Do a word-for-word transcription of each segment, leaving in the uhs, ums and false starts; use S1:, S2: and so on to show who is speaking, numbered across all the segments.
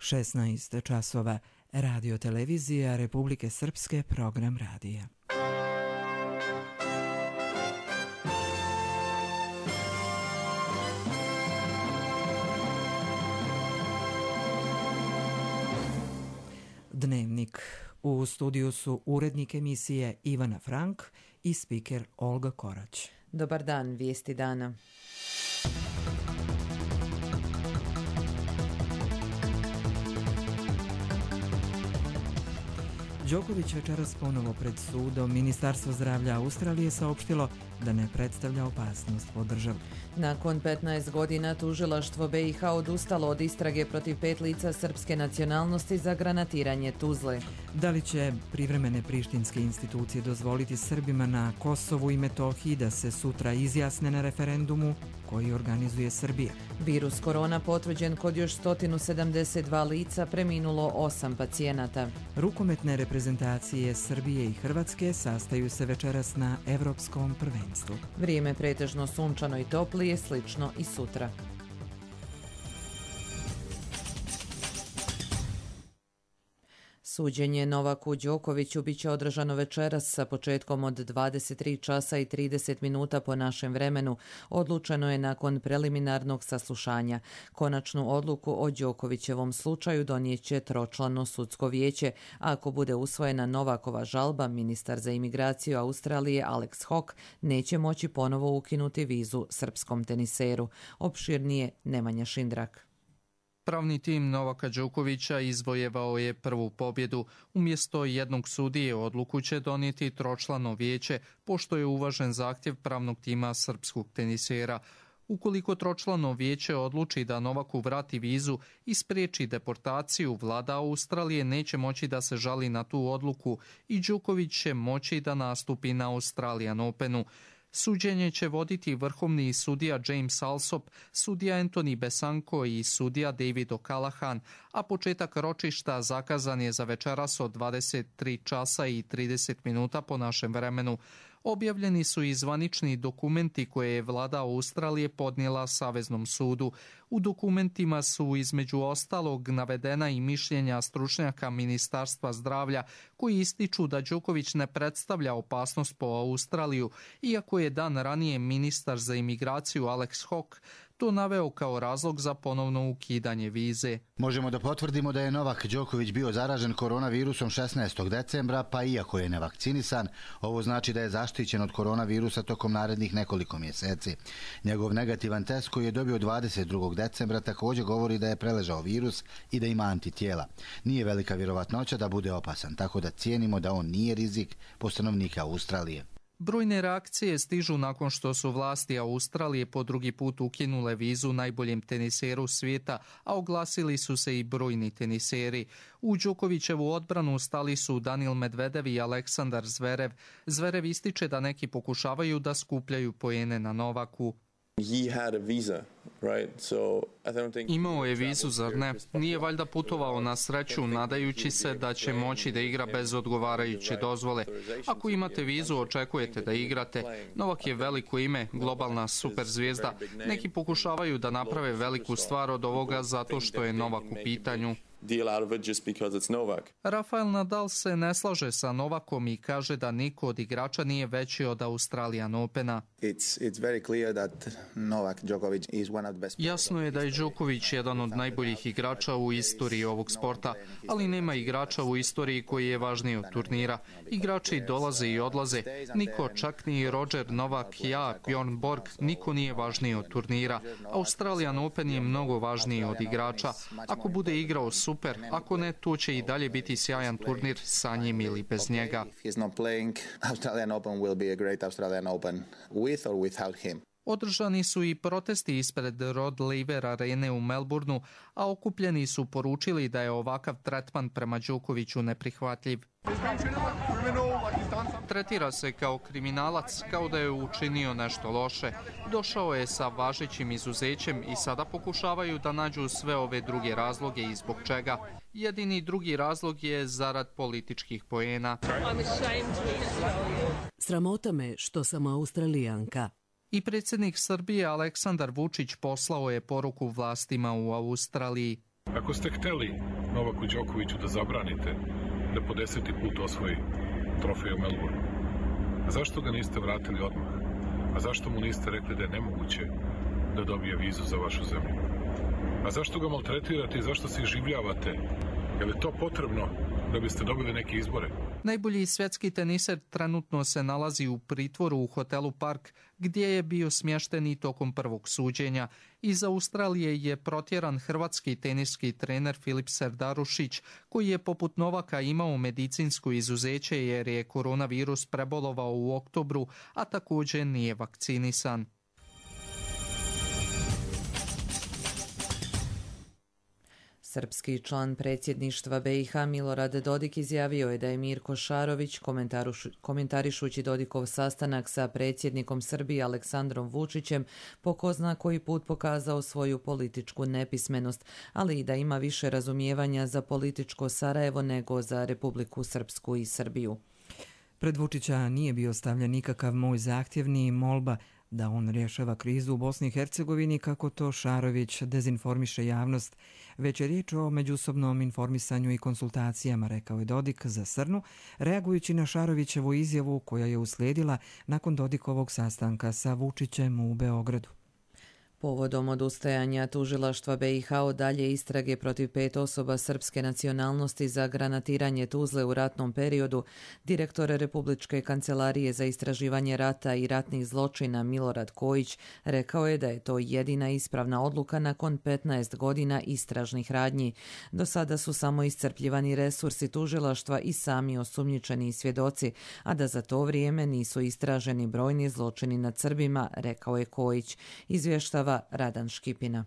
S1: šesnaest časova. Radio televizija Republike Srpske, program radija. Dnevnik. U studiju su urednik emisije Ivana Frank i spiker Olga Korać.
S2: Dobar dan, vijesti dana.
S1: Đoković večeras ponovo pred sudom. Ministarstvo zdravlja Australije saopštilo da ne predstavlja opasnost po državu.
S2: Nakon petnaest godina tužilaštvo B i H odustalo od istrage protiv pet lica srpske nacionalnosti za granatiranje Tuzle.
S1: Da li će privremene prištinske institucije dozvoliti Srbima na Kosovu i Metohiji da se sutra izjasne na referendumu koji organizuje Srbija?
S2: Virus korona potvrđen kod još sto sedamdeset dva lica, preminulo osam pacijenata.
S1: Rukometne reprezentacije Srbije i Hrvatske sastaju se večeras na Evropskom prvenstvu.
S2: Vrijeme pretežno sunčano i toplije, slično i sutra. Suđenje Novaku Đokoviću biće održano večeras sa početkom od dvadeset tri časa i trideset minuta po našem vremenu. Odlučeno je nakon preliminarnog saslušanja. Konačnu odluku o Đokovićevom slučaju donijeće tročlano sudsko vijeće. Ako bude usvojena Novakova žalba, ministar za imigraciju Australije Alex Hawke neće moći ponovo ukinuti vizu srpskom teniseru. Opširnije Nemanja Šindrak.
S3: Pravni tim Novaka Đokovića izvojevao je prvu pobjedu. Umjesto jednog sudije odluku će donijeti tročlano vijeće, pošto je uvažen zahtjev pravnog tima srpskog tenisera. Ukoliko tročlano vijeće odluči da Novaku vrati vizu i spriječi deportaciju, vlada Australije neće moći da se žali na tu odluku i Đoković će moći da nastupi na Australian Openu. Suđenje će voditi vrhovni sudija James Alsop, sudija Anthony Besanko i sudija David O'Callaghan, a početak ročišta zakazan je za večeras od dvadeset tri časa i trideset minuta po našem vremenu. Objavljeni su i zvanični dokumenti koje je vlada Australije podnijela Saveznom sudu. U dokumentima su između ostalog navedena i mišljenja stručnjaka Ministarstva zdravlja koji ističu da Đoković ne predstavlja opasnost po Australiju, iako je dan ranije ministar za imigraciju Alex Hawke to naveo kao razlog za ponovno ukidanje vize.
S4: Možemo da potvrdimo da je Novak Đoković bio zaražen koronavirusom šesnaestog decembra, pa iako je nevakcinisan, ovo znači da je zaštićen od koronavirusa tokom narednih nekoliko mjeseci. Njegov negativan test koji je dobio dvadeset drugog decembra također govori da je preležao virus i da ima antitijela. Nije velika vjerovatnoća da bude opasan, tako da cijenimo da on nije rizik po stanovnika Australije.
S3: Brojne reakcije stižu nakon što su vlasti Australije po drugi put ukinule vizu najboljem teniseru svijeta, a oglasili su se i brojni teniseri. U Đokovićevu odbranu stali su Daniil Medvedev i Aleksandar Zverev. Zverev ističe da neki pokušavaju da skupljaju poene na Novaku.
S5: Imao je vizu, zar ne? Nije valjda putovao na sreću nadajući se da će moći da igra bez odgovarajuće dozvole. Ako imate vizu, očekujete da igrate. Novak je veliko ime, globalna superzvijezda. Neki pokušavaju da naprave veliku stvar od ovoga zato što je Novak u pitanju.
S3: Rafael Nadal se ne slaže sa Novakom i kaže da niko od igrača nije veći od Australian Opena.
S5: Jasno je da je Đoković jedan od najboljih igrača u istoriji ovog sporta, ali nema igrača u istoriji koji je važniji od turnira. Igrači dolaze i odlaze. Niko, čak ni Roger, Novak, ja, Bjorn Borg, niko nije važniji od turnira. Australian Open je mnogo važniji od igrača. Ako bude igrao super, ako ne, tu će i dalje biti sjajan turnir sa njim ili bez njega.
S3: Održani su i protesti ispred Rod Laver arene u Melbourneu, a okupljeni su poručili da je ovakav tretman prema Đokoviću neprihvatljiv.
S5: Tretira se kao kriminalac, kao da je učinio nešto loše. Došao je sa važećim izuzećem i sada pokušavaju da nađu sve ove druge razloge i zbog čega. Jedini drugi razlog je zarad političkih poena.
S6: Sramota me što sam Australijanka.
S3: I predsjednik Srbije Aleksandar Vučić poslao je poruku vlastima u Australiji.
S7: Ako ste hteli Novaku Đokoviću da zabranite da po deseti put osvoji trofej u Melbourne, a zašto ga niste vratili odmah? A zašto mu niste rekli da je nemoguće da dobije vizu za vašu zemlju? A zašto ga maltretirate i zašto se iživljavate? Je li to potrebno da biste dobili neke izbore?
S3: Najbolji svjetski teniser trenutno se nalazi u pritvoru u hotelu Park, gdje je bio smješten i tokom prvog suđenja. Iz Australije je protjeran hrvatski teniski trener Filip Serdarušić, koji je poput Novaka imao medicinsko izuzeće jer je koronavirus prebolovao u oktobru, a također nije vakcinisan.
S2: Srpski član predsjedništva B i H Milorad Dodik izjavio je da je Mirko Šarović, komentarišući Dodikov sastanak sa predsjednikom Srbije Aleksandrom Vučićem, po ko zna koji put pokazao svoju političku nepismenost, ali i da ima više razumijevanja za političko Sarajevo nego za Republiku Srpsku i Srbiju.
S1: Pred Vučića nije bio stavljen nikakav moj zahtjev ni molba da on rješava krizu u Bosni i Hercegovini kako to Šarović dezinformiše javnost, već je riječ o međusobnom informisanju i konsultacijama, rekao je Dodik za Srnu, reagujući na Šarovićevu izjavu koja je uslijedila nakon Dodikovog sastanka sa Vučićem u Beogradu.
S2: Povodom odustajanja tužilaštva B i H od dalje istrage protiv pet osoba srpske nacionalnosti za granatiranje Tuzle u ratnom periodu, direktor Republičke kancelarije za istraživanje rata i ratnih zločina Milorad Kojić rekao je da je to jedina ispravna odluka nakon petnaest godina istražnih radnji. Do sada su samo iscrpljivani resursi tužilaštva i sami osumnjičeni svjedoci, a da za to vrijeme nisu istraženi brojni zločini nad Srbima, rekao je Kojić. Izvještava Radan Škipina.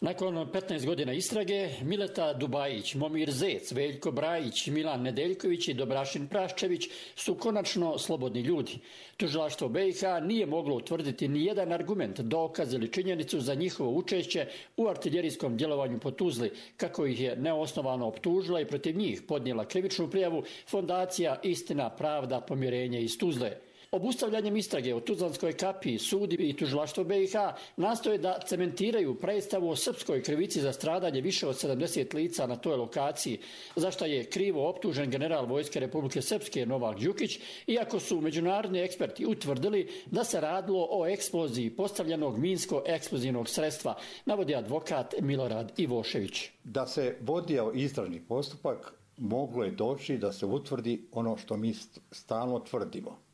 S8: Nakon petnaest godina istrage, Mileta Dubajić, Momir Zec, Veljko Brajić, Milan Nedeljković i Dobrašin Praščević su konačno slobodni ljudi. Tužilaštvo B i H nije moglo utvrditi ni jedan argument, dokaz ili činjenicu za njihovo učešće u artiljerijskom djelovanju po Tuzli, kako ih je neosnovano optužila i protiv njih podnijela krivičnu prijavu Fondacija Istina, pravda, pomirenje iz Tuzle. Obustavljanjem istrage o Tuzlanskoj kapiji sud i tužilaštvo B i H nastoje da cementiraju predstavu o srpskoj krivici za stradanje više od sedamdeset lica na toj lokaciji, za što je krivo optužen general Vojske Republike Srpske Novak Đukić, iako su međunarodni eksperti utvrdili da se radilo o eksploziji postavljenog minsko-eksplozivnog sredstva, navodi advokat Milorad Ivošević.
S9: Da se vodio istražni postupak, moglo je doći da se utvrdi ono što mi stalno tvrdimo.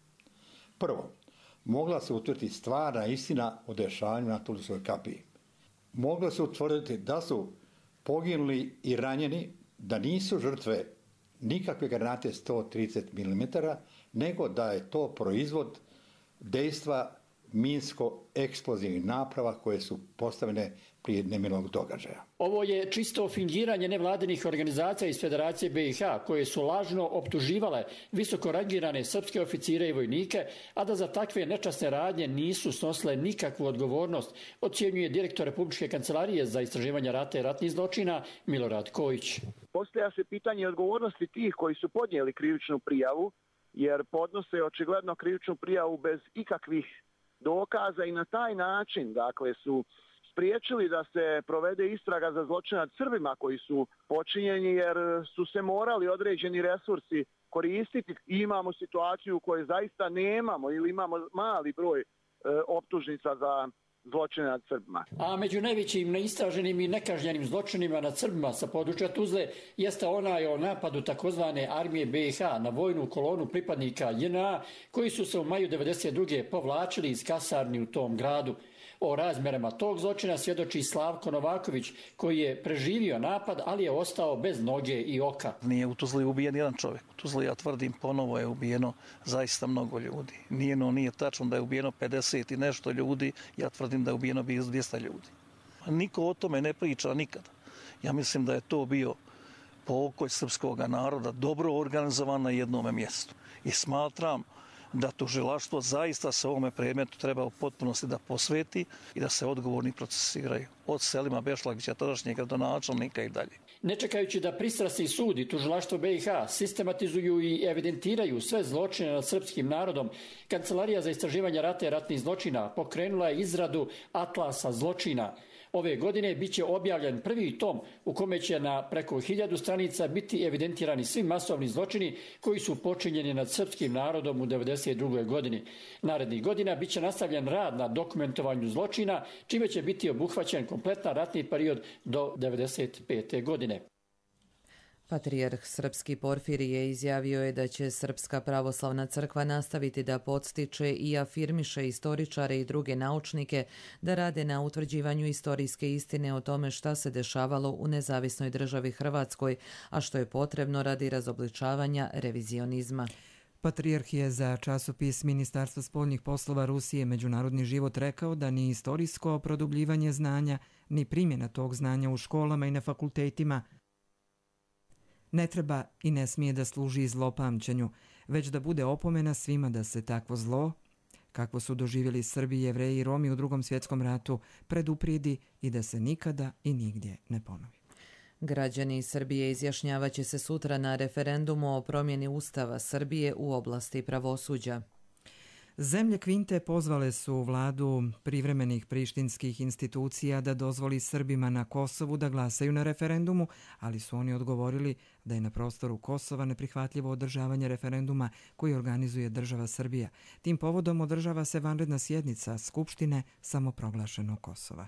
S9: Prvo, mogla se utvrditi stvarna istina o dešavanju na Tuzlanskoj kapiji. Moglo se utvrditi da su poginuli i ranjeni, da nisu žrtve nikakve granate sto trideset milimetara, nego da je to proizvod dejstva minsko-eksplozivnih naprava koje su postavljene prije nemilog događaja.
S8: Ovo je čisto fingiranje nevladinih organizacija iz Federacije B i H koje su lažno optuživale visoko rangirane srpske oficire i vojnike, a da za takve nečasne radnje nisu snosile nikakvu odgovornost, ocjenjuje direktor Republičke kancelarije za istraživanje rata i ratnih zločina Milorad Kojić.
S10: Postavlja se pitanje odgovornosti tih koji su podnijeli krivičnu prijavu, jer podnose očigledno krivičnu prijavu bez ikakvih dokaza i na taj način, dakle, su spriječili da se provede istraga za zločine nad Srbima koji su počinjeni, jer su se morali određeni resursi koristiti i imamo situaciju u kojoj zaista nemamo ili imamo mali broj e, optužnica za zločine nad Srbima.
S8: A među najvećim neistraženim i nekažnjenim zločinima nad Srbima sa područja Tuzle jeste onaj o napadu takozvane armije B i H na vojnu kolonu pripadnika J N A koji su se u maju devedeset druge povlačili iz kasarni u tom gradu. O razmjerama tog zločina svjedoči Slavko Novaković, koji je preživio napad, ali je ostao bez noge i oka.
S11: Nije u Tuzli ubijen jedan čovjek. U Tuzli, ja tvrdim, ponovo je ubijeno zaista mnogo ljudi. Nije, no, nije tačno da je ubijeno pedeset i nešto ljudi, ja tvrdim da je ubijeno dvjesto ljudi. Niko o tome ne priča nikada. Ja mislim da je to bio pokolj srpskog naroda, dobro organizovan na jednome mjestu. I smatram da tužilaštvo zaista se ovome predmetu treba u potpunosti da posveti i da se odgovorni procesiraju. Od Selima Bešlagića, tadašnjeg gradonačelnika i dalje.
S8: Ne čekajući da pristrasni sud i tužilaštvo B i H sistematizuju i evidentiraju sve zločine nad srpskim narodom, Kancelarija za istraživanje rata i ratnih zločina pokrenula je izradu Atlasa zločina. Ove godine bit će objavljen prvi tom u kome će na preko hiljadu stranica biti evidentirani svi masovni zločini koji su počinjeni nad srpskim narodom u devedeset drugoj godini. Narednih godina bit će nastavljen rad na dokumentovanju zločina, čime će biti obuhvaćen kompletan ratni period do devedeset pete godine.
S2: Patrijarh srpski Porfirije izjavio je da će Srpska pravoslavna crkva nastaviti da podstiče i afirmiše istoričare i druge naučnike da rade na utvrđivanju istorijske istine o tome šta se dešavalo u nezavisnoj državi Hrvatskoj, a što je potrebno radi razobličavanja revizionizma.
S1: Patrijarh je za časopis Ministarstva spoljnih poslova Rusije Međunarodni život rekao da ni istorijsko produbljivanje znanja, ni primjena tog znanja u školama i na fakultetima ne treba i ne smije da služi zlopamćenju, već da bude opomena svima da se takvo zlo, kakvo su doživjeli Srbi, Jevreji i Romi u Drugom svjetskom ratu, preduprijedi i da se nikada i nigdje ne ponovi.
S2: Građani Srbije izjašnjavaće se sutra na referendumu o promjeni Ustava Srbije u oblasti pravosuđa.
S1: Zemlje Kvinte pozvale su vladu privremenih prištinskih institucija da dozvoli Srbima na Kosovu da glasaju na referendumu, ali su oni odgovorili da je na prostoru Kosova neprihvatljivo održavanje referenduma koji organizuje država Srbija. Tim povodom održava se vanredna sjednica Skupštine samoproglašenog Kosova.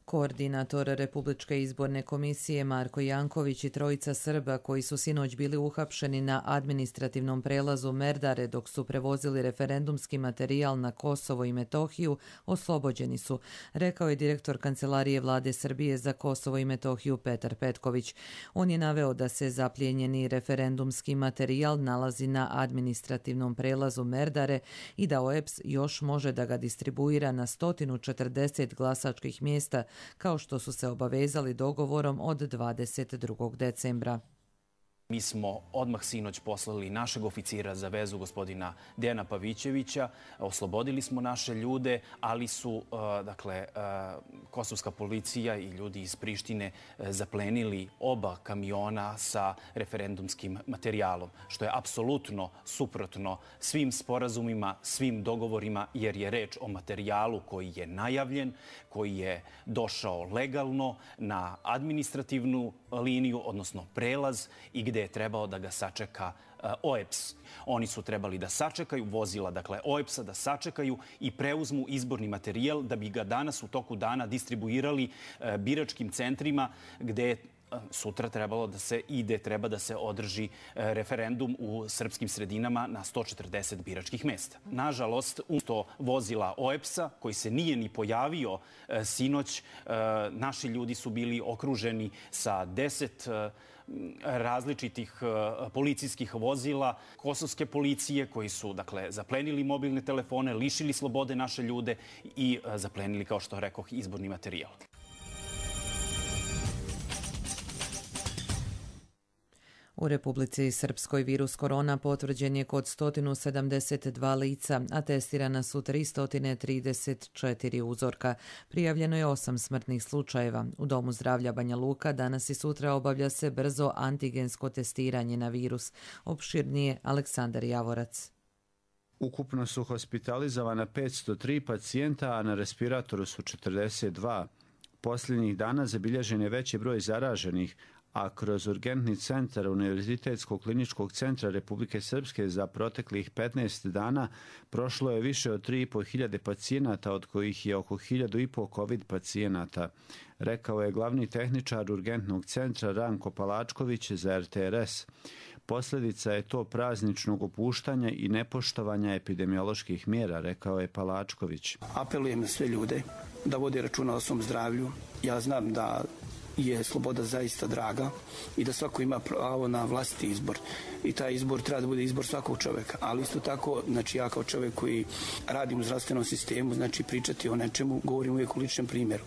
S2: Koordinator Republičke izborne komisije Marko Janković i trojica Srba koji su sinoć bili uhapšeni na administrativnom prelazu Merdare dok su prevozili referendumski materijal na Kosovo i Metohiju oslobođeni su, rekao je direktor Kancelarije vlade Srbije za Kosovo i Metohiju Petar Petković. On je naveo da se zaplijenjeni referendumski materijal nalazi na administrativnom prelazu Merdare i da O E P S još može da ga distribuira na sto četrdeset glasačkih mjesta kao što su se obavezali dogovorom od dvadeset drugog decembra.
S12: Mi smo odmah sinoć poslali našeg oficira za vezu, gospodina Dejana Pavićevića. Oslobodili smo naše ljude, ali su dakle, kosovska policija i ljudi iz Prištine zaplenili oba kamiona sa referendumskim materijalom, što je apsolutno suprotno svim sporazumima, svim dogovorima, jer je reč o materijalu koji je najavljen, koji je došao legalno na administrativnu liniju, odnosno prelaz, i gde je trebao da ga sačeka O E P S. Oni su trebali da sačekaju vozila, dakle O E P S-a, da sačekaju i preuzmu izborni materijal da bi ga danas u toku dana distribuirali biračkim centrima gde je sutra trebalo da se ide, treba da se održi referendum u srpskim sredinama na sto četrdeset biračkih mesta. Nažalost, umjesto vozila O E P S-a, koji se nije ni pojavio sinoć, naši ljudi su bili okruženi sa deset različitih policijskih vozila, kosovske policije koji su dakle zaplenili mobilne telefone, lišili slobode naše ljude i zaplenili, kao što rekoh, izborni materijal.
S2: U Republici Srpskoj virus korona potvrđen je kod sto sedamdeset dva lica, a testirana su tristo trideset četiri uzorka. Prijavljeno je osam smrtnih slučajeva. U Domu zdravlja Banja Luka danas i sutra obavlja se brzo antigensko testiranje na virus. Opširnije Aleksandar Javorac.
S13: Ukupno su hospitalizovana petsto tri pacijenta, a na respiratoru su četrdeset dva. Posljednjih dana zabilježen je veći broj zaraženih, a kroz urgentni centar Univerzitetskog kliničkog centra Republike Srpske za proteklih petnaest dana prošlo je više od tri i po hiljade pacijenata, od kojih je oko hiljadu i po COVID pacijenata, rekao je glavni tehničar urgentnog centra Ranko Palačković za R T R S. Posljedica je to prazničnog opuštanja i nepoštovanja epidemioloških mjera, rekao je Palačković.
S14: Apelujem na sve ljude da vode računa o svom zdravlju. Ja znam da je sloboda zaista draga i da svako ima pravo na vlastiti izbor. I taj izbor treba da bude izbor svakog čovjeka. Ali isto tako, znači ja kao čovjek koji radim u zdravstvenom sistemu, znači pričati o nečemu, govorim uvijek u ličnom primjeru.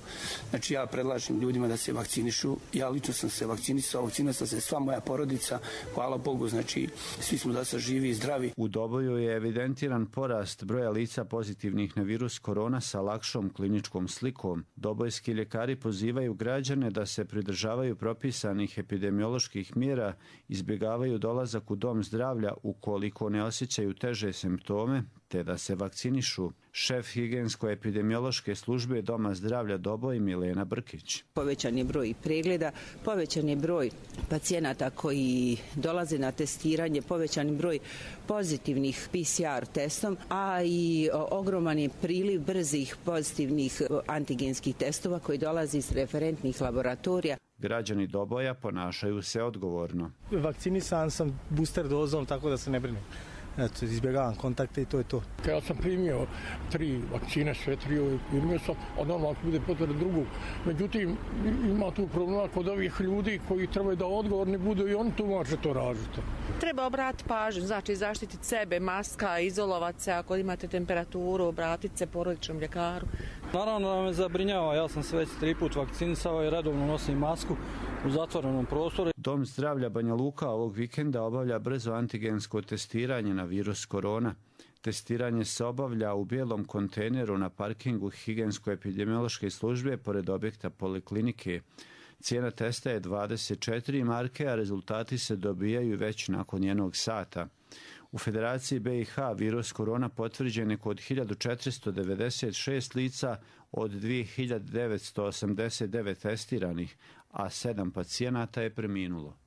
S14: Znači ja predlažem ljudima da se vakcinišu. Ja lično sam se vakcinisao, vakcinisao se sva moja porodica. Hvala Bogu, znači svi smo da se živi i zdravi.
S13: U Doboju je evidentiran porast broja lica pozitivnih na virus korona sa lakšom kliničkom slikom. Dobojski ljekari pozivaju građane da se pridržavaju propisanih epidemioloških mjera, izbjegavaju dolazak u dom zdravlja ukoliko ne osjećaju teže simptome, te da se vakcinišu. Šef higijensko-epidemiološke službe Doma zdravlja Doboj Milena Brkić.
S15: Povećan je broj pregleda, povećan je broj pacijenata koji dolaze na testiranje, povećan je broj pozitivnih P C R testom, a i ogroman je priliv brzih pozitivnih antigenskih testova koji dolazi iz referentnih laboratorija.
S13: Građani Doboja ponašaju se odgovorno.
S16: Vakcinisan sam booster dozom, tako da se ne brinem. Eto, izbjegavam kontakte i to je to.
S17: Ja sam primio tri vakcine, sve tri ove primio sam, a normalno bude potvrda drugu. Međutim, ima tu problema kod ovih ljudi koji trebaju da odgovorni budu i oni tu može to raditi.
S18: Treba obratiti pažnju, znači zaštititi sebe, maska, izolovati se ako imate temperaturu, obratiti se porodičnom ljekaru.
S16: Naravno da me zabrinjava, ja sam se već tri put vakcinisao i redovno nosim masku u zatvorenom prostoru.
S13: Dom zdravlja Banja Luka ovog vikenda obavlja brzo antigensko testiranje na virus korona. Testiranje se obavlja u bijelom kontejneru na parkingu higijensko-epidemiološke službe pored objekta poliklinike. Cijena testa je dvadeset četiri marke, a rezultati se dobijaju već nakon jednog sata. U Federaciji B i H virus korona potvrđen je kod hiljadu četiristo devedeset šest lica od dvije hiljade devetsto osamdeset devet testiranih, a sedam pacijenata je preminulo.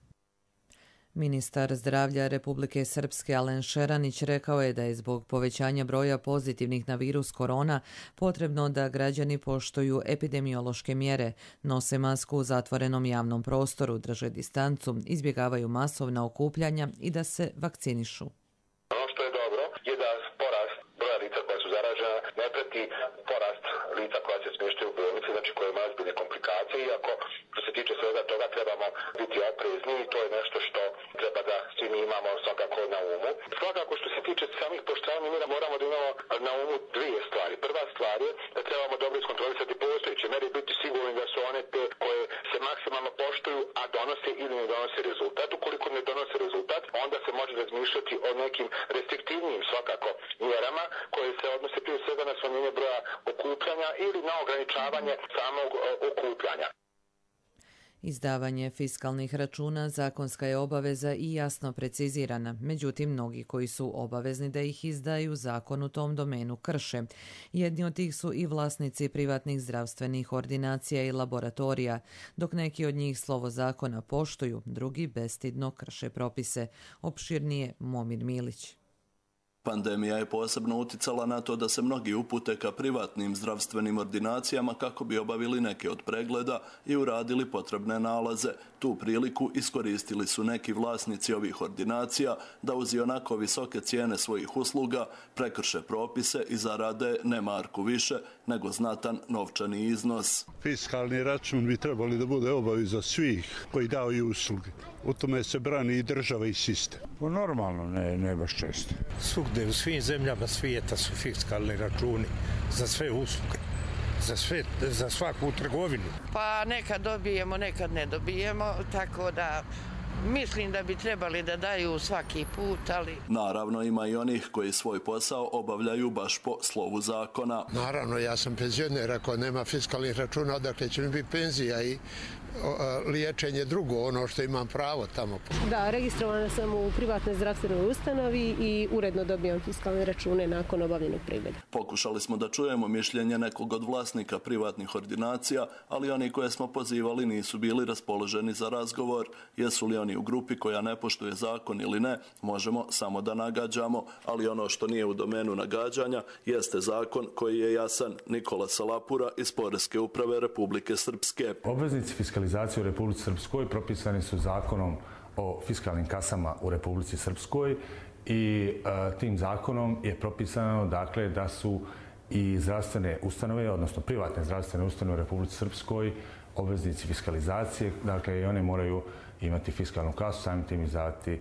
S2: Ministar zdravlja Republike Srpske Alen Šeranić rekao je da je zbog povećanja broja pozitivnih na virus korona potrebno da građani poštuju epidemiološke mjere, nose masku u zatvorenom javnom prostoru, drže distancu, izbjegavaju masovna okupljanja i da se vakcinišu.
S19: Ono što je dobro je da porast broja lica koja su zaražena ne prati porast lica koja se smještaju u bolnici, znači koje imaju ozbiljne komplikacije, iako što se tiče svega toga trebamo biti oprezni i to je nešto što treba da svi mi imamo svakako na umu. Svakako što se tiče samih poštravanja mjera moramo da imamo na umu dvije stvari. Prva stvar je da trebamo dobro iskontrolisati postojeće mere i biti sigurni da su one te koje se maksimalno poštuju, a donose ili ne donose rezultat. Ukoliko ne donose rezultat, onda se može razmišljati o nekim restriktivnijim svakako mjerama koje se odnose prije svega na smanjenje broja okupljanja ili na ograničavanje samog okupljanja.
S2: Izdavanje fiskalnih računa zakonska je obaveza i jasno precizirana, međutim mnogi koji su obavezni da ih izdaju zakon u tom domenu krše. Jedni od tih su i vlasnici privatnih zdravstvenih ordinacija i laboratorija, dok neki od njih slovo zakona poštuju, drugi bestidno krše propise. Opširnije Momir Milić.
S20: Pandemija je posebno uticala na to da se mnogi upute ka privatnim zdravstvenim ordinacijama kako bi obavili neke od pregleda i uradili potrebne nalaze. Tu priliku iskoristili su neki vlasnici ovih ordinacija da uz onako visoke cijene svojih usluga prekrše propise i zarade ne marku više, nego znatan novčani iznos.
S21: Fiskalni račun bi trebali da bude obaveza svih koji daju usluge. U tome se brani i država i sistem.
S22: Po normalno, ne, ne baš često.
S23: Svugde u svim zemljama svijeta su fiskalni računi za sve usluge, za, sve, za svaku trgovinu.
S18: Pa nekad dobijemo, nekad ne dobijemo, tako da mislim da bi trebali da daju svaki put, ali...
S20: Naravno, ima i onih koji svoj posao obavljaju baš po slovu zakona.
S21: Naravno, ja sam penzioner, ako nema fiskalnih računa, odakle će mi biti penzija i liječenje drugo, ono što imam pravo tamo.
S24: Da, registrovana sam u privatnoj zdravstvenoj ustanovi i uredno dobijam fiskalne račune nakon obavljenog pregleda.
S20: Pokušali smo da čujemo mišljenje nekog od vlasnika privatnih ordinacija, ali oni koje smo pozivali nisu bili raspoloženi za razgovor. Jesu li oni u grupi koja ne poštuje zakon ili ne, možemo samo da nagađamo, ali ono što nije u domenu nagađanja jeste zakon koji je jasan. Nikola Salapura iz Poreske uprave Republike Srpske.
S22: Obveznici fiskalizacije u Republici Srpskoj propisani su zakonom o fiskalnim kasama u Republici Srpskoj i e, tim zakonom je propisano dakle da su i zdravstvene ustanove, odnosno privatne zdravstvene ustanove u Republici Srpskoj obveznici fiskalizacije, dakle i one moraju imati fiskalnu kasu, samim tim izdavati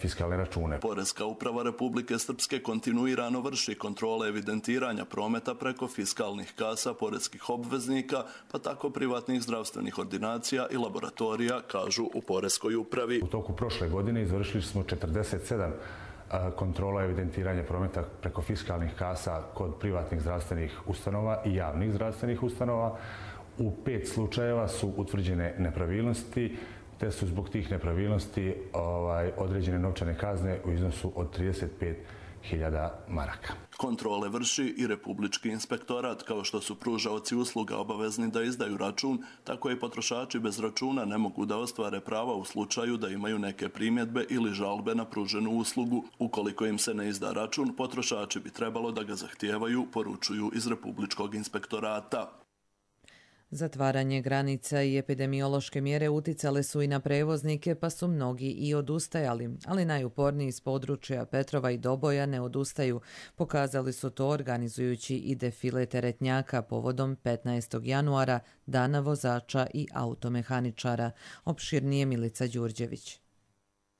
S22: fiskalne račune.
S20: Poreska uprava Republike Srpske kontinuirano vrši kontrole evidentiranja prometa preko fiskalnih kasa poreskih obveznika, pa tako privatnih zdravstvenih ordinacija i laboratorija, kažu u Poreskoj upravi.
S22: U toku prošle godine izvršili smo četrdeset sedam kontrola evidentiranja prometa preko fiskalnih kasa kod privatnih zdravstvenih ustanova i javnih zdravstvenih ustanova. U pet slučajeva su utvrđene nepravilnosti, te su zbog tih nepravilnosti ovaj, određene novčane kazne u iznosu od trideset pet hiljada maraka.
S20: Kontrole vrši i Republički inspektorat, kao što su pružaoci usluga obavezni da izdaju račun, tako i potrošači bez računa ne mogu da ostvare prava u slučaju da imaju neke primjedbe ili žalbe na pruženu uslugu. Ukoliko im se ne izda račun, potrošači bi trebalo da ga zahtijevaju, poručuju iz Republičkog inspektorata.
S2: Zatvaranje granica i epidemiološke mjere uticale su i na prevoznike, pa su mnogi i odustajali, ali najuporniji iz područja Petrova i Doboja ne odustaju. Pokazali su to organizujući i defile teretnjaka povodom petnaestog januara, Dana vozača i automehaničara. Opširnije Milica Đurđević.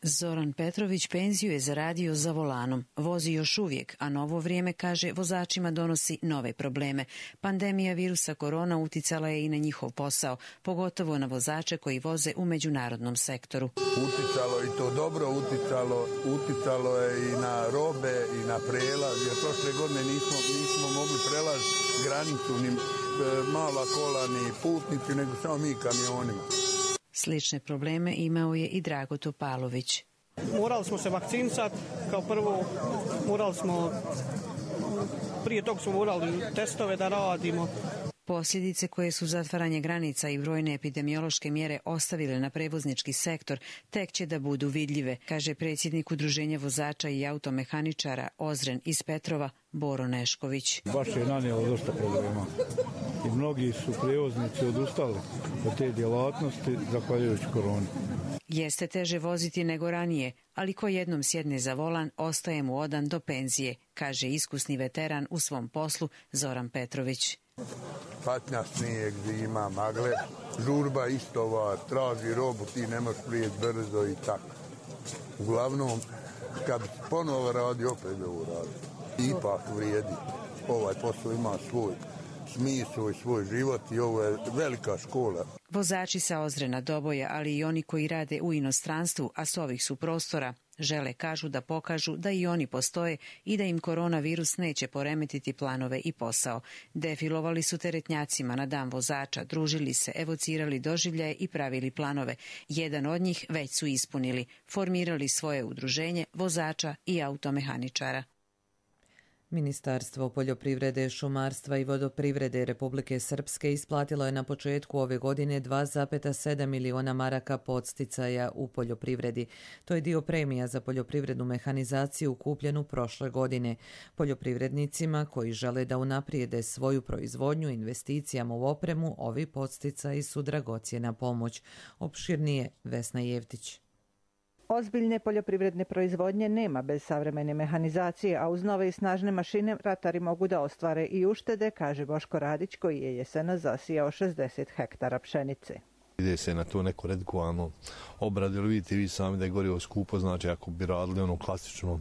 S4: Zoran Petrović penziju je zaradio za volanom. Vozi još uvijek, a novo vrijeme, kaže, vozačima donosi nove probleme. Pandemija virusa korona uticala je i na njihov posao, pogotovo na vozače koji voze u međunarodnom sektoru.
S5: Uticalo i to dobro, uticalo, uticalo je i na robe i na prelaz, jer prošle godine nismo, nismo mogli prelaziti granicu ni mala kola ni putnici, nego samo mi kamionima.
S4: Slične probleme imao je i Drago Topalović.
S6: Morali smo se vakcinisati, kao prvo morali smo, prije tog smo morali testove da radimo.
S4: Posljedice koje su zatvaranje granica i brojne epidemiološke mjere ostavile na prevoznički sektor tek će da budu vidljive, kaže predsjednik Udruženja vozača i automehaničara Ozren iz Petrova, Boro Nešković.
S7: Baš je nanijelo dosta problema i mnogi su prevoznici odustali od te djelatnosti zahvaljujući koroni.
S4: Jeste teže voziti nego ranije, ali ko jednom sjedne za volan, ostaje mu odan do penzije, kaže iskusni veteran u svom poslu Zoran Petrović.
S5: Patnja, snijeg, zima, magle, žurba istova, traži robu, ti nemaš prijet brzo i tako. Uglavnom, kad ponovo radi, opet ovo radi. Ipak vrijedi. Ovaj posao ima svoj smisao i svoj život i ovo je velika škola.
S4: Vozači sa Ozrena, Doboja, ali i oni koji rade u inostranstvu, a s ovih su prostora, žele, kažu, da pokažu da i oni postoje i da im koronavirus neće poremetiti planove i posao. Defilovali su teretnjacima na dan vozača, družili se, evocirali doživljaje i pravili planove. Jedan od njih već su ispunili, formirali svoje udruženje vozača i automehaničara.
S2: Ministarstvo poljoprivrede, šumarstva i vodoprivrede Republike Srpske isplatilo je na početku ove godine dva zarez sedam miliona maraka podsticaja u poljoprivredi. To je dio premija za poljoprivrednu mehanizaciju kupljenu prošle godine. Poljoprivrednicima koji žele da unaprijede svoju proizvodnju investicijama u opremu, ovi podsticaji su dragocjena pomoć. Opširnije Vesna Jevtić.
S25: Ozbiljne poljoprivredne proizvodnje nema bez savremene mehanizacije, a uz nove i snažne mašine ratari mogu da ostvare i uštede, kaže Boško Radić, koji je jesena zasijao šezdeset hektara pšenice.
S26: Ide se na to neko redikovano obradu, ili vidite vi sami da je gorivo skupo, znači ako bi radili ono klasično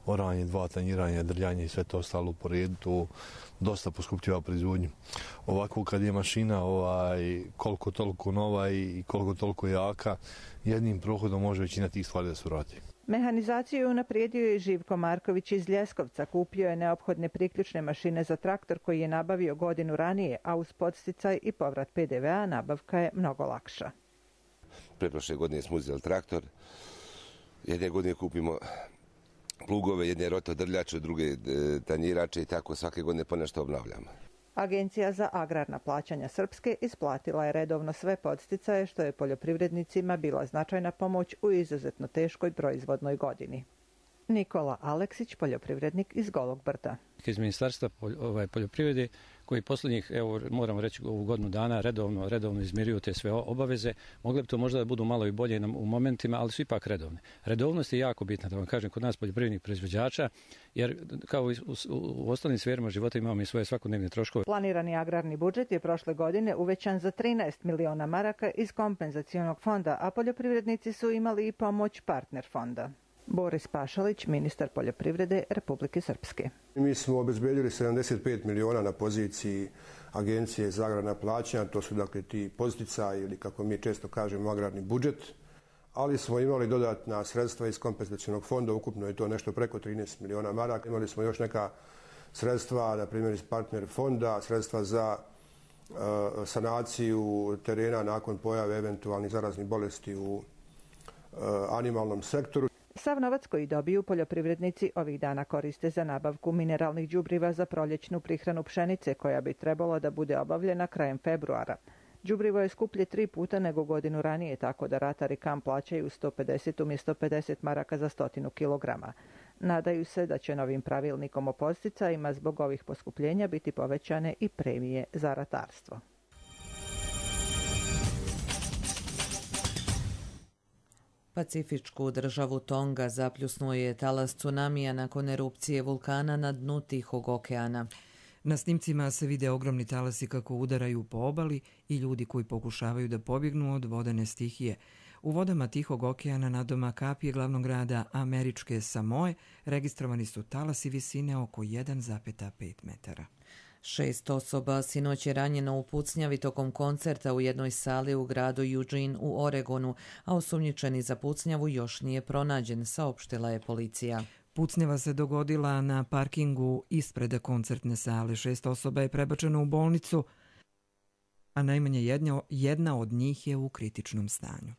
S26: oranje, dva tanjiranja, drljanje i sve to ostalo u poredu, to dosta poskupljava proizvodnju. Ovako kad je mašina ovaj, koliko toliko nova i koliko toliko jaka, jednim prohodom može većina tih stvari da se vrati.
S25: Mehanizaciju je unaprijedio i Živko Marković iz Ljeskovca. Kupio je neophodne priključne mašine za traktor koji je nabavio godinu ranije, a uz podsticaj i povrat pe de ve a nabavka je mnogo lakša.
S27: Preprošle godine smo uzeli traktor, jedne godine kupimo plugove, jedne rotodrljače, druge tanjirače i tako svake godine ponešto obnavljamo.
S25: Agencija za agrarna plaćanja Srpske isplatila je redovno sve podsticaje, što je poljoprivrednicima bila značajna pomoć u izuzetno teškoj proizvodnoj godini. Nikola Aleksić, poljoprivrednik iz Golog Brda.
S28: Iz Ministarstva poljoprivrede koji posljednjih, evo moramo reći, ovu godinu dana redovno, redovno izmiruju te sve obaveze. Mogle bi to možda da budu malo i bolje u momentima, ali su ipak redovne. Redovnost je jako bitna, da vam kažem, kod nas poljoprivrednih proizvođača, jer kao i u, u ostalim sferima života imamo i svoje svakodnevne troškove.
S25: Planirani agrarni budžet je prošle godine uvećan za trinaest miliona maraka iz kompenzacionog fonda, a poljoprivrednici su imali i pomoć partner fonda. Boris Pašalić, ministar poljoprivrede Republike Srpske.
S29: Mi smo obezbedili sedamdeset pet miliona na poziciji Agencije za agrarna plaćanja, to su dakle ti podsticaji ili kako mi često kažemo agrarni budžet, ali smo imali dodatna sredstva iz kompenzacionog fonda, ukupno je to nešto preko trinaest miliona maraka. Imali smo još neka sredstva, na primjer iz partner fonda, sredstva za uh, sanaciju terena nakon pojave eventualnih zaraznih bolesti u uh, animalnom sektoru.
S25: Sav novac koji dobiju poljoprivrednici ovih dana koriste za nabavku mineralnih đubriva za proljećnu prihranu pšenice koja bi trebalo da bude obavljena krajem februara. Đubrivo je skuplje tri puta nego godinu ranije, tako da ratari K A M plaćaju sto pedeset umjesto pedeset maraka za stotinu kilograma. Nadaju se da će novim pravilnikom o podsticajima zbog ovih poskupljenja biti povećane i premije za ratarstvo.
S2: Pacifičku državu Tonga zapljusnuo je talas tsunamija nakon erupcije vulkana na dnu Tihog okeana.
S1: Na snimcima se vide ogromni talasi kako udaraju po obali i ljudi koji pokušavaju da pobjegnu od vodene stihije. U vodama Tihog okeana nadomak Apije, glavnog grada američke Samoe, registrovani su talasi visine oko jedan zarez pet metara.
S2: Šest osoba sinoć je ranjeno u pucnjavi tokom koncerta u jednoj sali u gradu Eugene u Oregonu, a osumnjičeni za pucnjavu još nije pronađen, saopštila je policija.
S1: Pucnjava se dogodila na parkingu ispred koncertne sale. Šest osoba je prebačeno u bolnicu, a najmanje jedna, jedna od njih je u kritičnom stanju.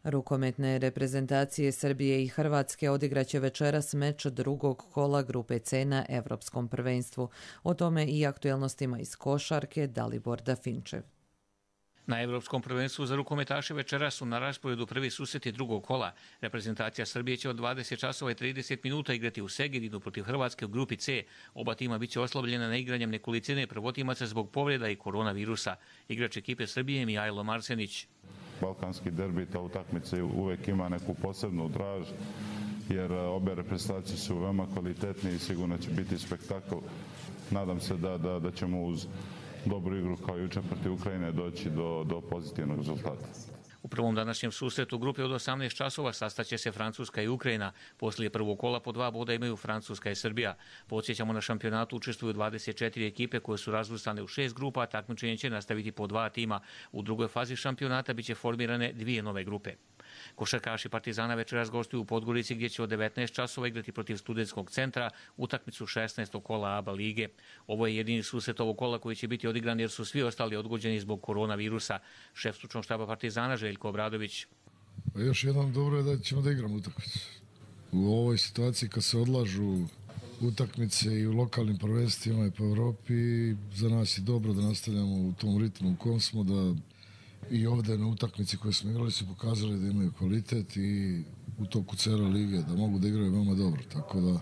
S2: Rukometne reprezentacije Srbije i Hrvatske odigraće večeras meč drugog kola grupe C na Evropskom prvenstvu. O tome i aktuelnostima iz košarke Dalibor Dafinčev.
S3: Na Evropskom prvenstvu za rukometaše večera su na rasporedu prvi susreti drugog kola. Reprezentacija Srbije će od dvadeset časova i trideset minuta igrati u Segedinu protiv Hrvatske u grupi C. Oba tima biće oslabljena na igranjem nekolicine prvotimaca zbog povreda i koronavirusa. Igrač ekipe Srbije je Mihajlo Marsenić.
S8: Balkanski derbi, ta utakmica uvek ima neku posebnu draž, jer obe reprezentacije su veoma kvalitetne i sigurno će biti spektakl. Nadam se da, da, da ćemo uz dobru igru kao juče protiv Ukrajine doći do, do pozitivnog rezultata.
S3: U prvom današnjem susretu grupe od osamnaest časova sastaće se Francuska i Ukrajina. Poslije prvog kola po dva boda imaju Francuska i Srbija. Podsjećamo, na šampionatu učestvuju dvadeset četiri ekipe koje su razvrstane u šest grupa, a takmičenje će nastaviti po dva tima. U drugoj fazi šampionata biće formirane dvije nove grupe. Košarkaši Partizana večeras gostuju u Podgorici gdje će od devetnaest časova igrati protiv Studentskog centra utakmicu šesnaestog kola A B A lige. Ovo je jedini susret ovog kola koji će biti odigran jer su svi ostali odgođeni zbog koronavirusa. Šef stručnog štaba Partizana Željko Obradović.
S9: Pa još jednom dobro je da ćemo da igramo utakmicu. U ovoj situaciji kad se odlažu utakmice i u lokalnim prvenstvima i po Evropi, za nas je dobro da nastavljamo u tom ritmu u kom smo, da i ovdje na utakmici koje smo igrali su pokazali da imaju kvalitet i u toku cijele lige da mogu da igraju veoma dobro, tako da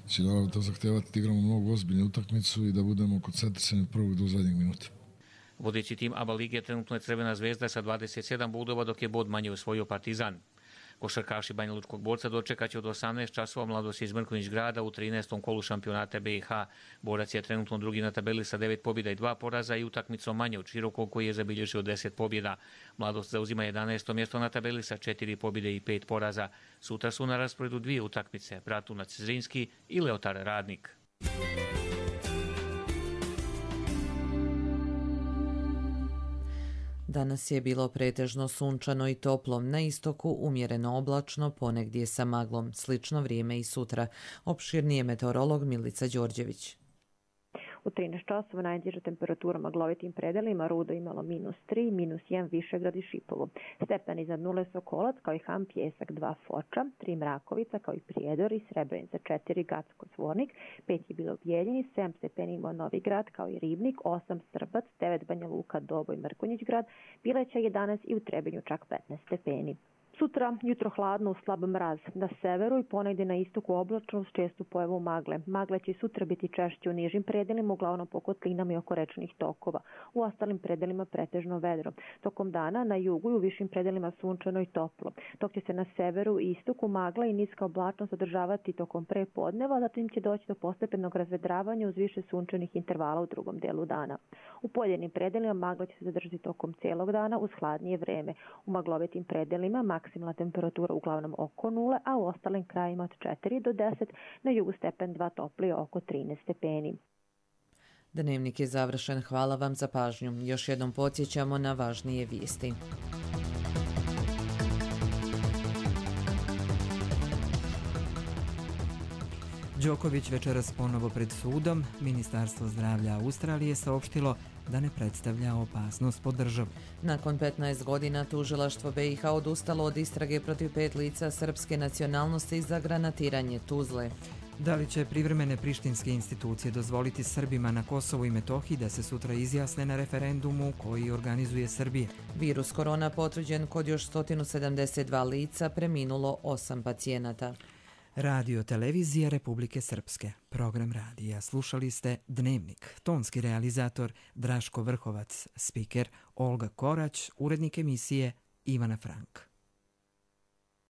S9: će naravno to zahtevati da igramo mnogo ozbiljnu utakmicu i da budemo koncentrisani od prvog do zadnjeg minuta.
S3: Vodeći tim A B A lige trenutno je Crvena zvezda sa dvadeset sedam bodova, dok je bod manje osvojio Partizan. Košarkaši Banjalučkog borca dočekaće od osamnaest časova Mladost iz Mrkonjić Grada u trinaestom kolu šampionata B i H. Borac je trenutno drugi na tabeli sa devet pobjeda i dva poraza i utakmicom manje od Širokog koji je zabilježio deset pobjeda. Mladost zauzima jedanaesto mjesto na tabeli sa četiri pobjede i pet poraza. Sutra su na rasporedu dvije utakmice, Bratunac Zrinski i Leotar Radnik.
S2: Danas je bilo pretežno sunčano i toplo, na istoku umjereno oblačno, ponegdje sa maglom. Slično vrijeme i sutra. Opširnije meteorolog Milica Đorđević.
S10: U trinaest časova najniža temperatura u maglovitim predelima, Rudo imalo minus tri, minus jedan Višegrad i Šipovo. Stepen iznad nule Sokolac, kao i Ham, Pjesak dva Foča, tri Mrakovica, kao i Prijedor i Srebrenica, četiri Gacko Zvornik, pet je bilo Bijeljini, sedam stepeni imao Novi Grad, kao i Ribnik, osam Srbac, devet Banja Luka, Doboj, Mrkonjić Grad, Bileća jedanaest i u Trebinju čak petnaest stepeni. Sutra jutro hladno uz slab mraz. Na severu i ponegdje na istoku oblačno uz čestu pojavu magle. Magle će sutra biti češće u nižim predelima, uglavnom po kotlinama i oko rečnih tokova. U ostalim predelima pretežno vedro. Tokom dana na jugu i u višim predelima sunčano i toplo. Dok će se na severu i istoku magla i niska oblačnost održavati tokom prepodneva, zatim će doći do postepenog razvedravanja uz više sunčanih intervala u drugom delu dana. U poljenim predelima magla će se zadržati tokom cijelog dana uz hladnije vreme. U maglovitim predelima maksimalna temperatura uglavnom oko nule, a u ostalim krajima od četiri do deset, na jugu stepen dva toplije oko trinaest stepeni.
S2: Dnevnik je završen. Hvala vam za pažnju. Još jednom podsjećamo na važnije vijesti.
S1: Đoković večeras ponovo pred sudom. Ministarstvo zdravlja Australije saopštilo da ne predstavlja opasnost po državu.
S2: Nakon petnaest godina tužilaštvo B i H odustalo od istrage protiv pet lica srpske nacionalnosti za granatiranje Tuzle.
S1: Da li će privremene prištinske institucije dozvoliti Srbima na Kosovu i Metohiji da se sutra izjasne na referendumu koji organizuje Srbija?
S2: Virus korona potvrđen kod još sto sedamdeset dva lica, preminulo osam pacijenata.
S1: Radio televizija Republike Srpske. Program radija slušali ste Dnevnik. Tonski realizator Draško Vrhovac, spiker Olga Korać, urednik emisije Ivana Frank.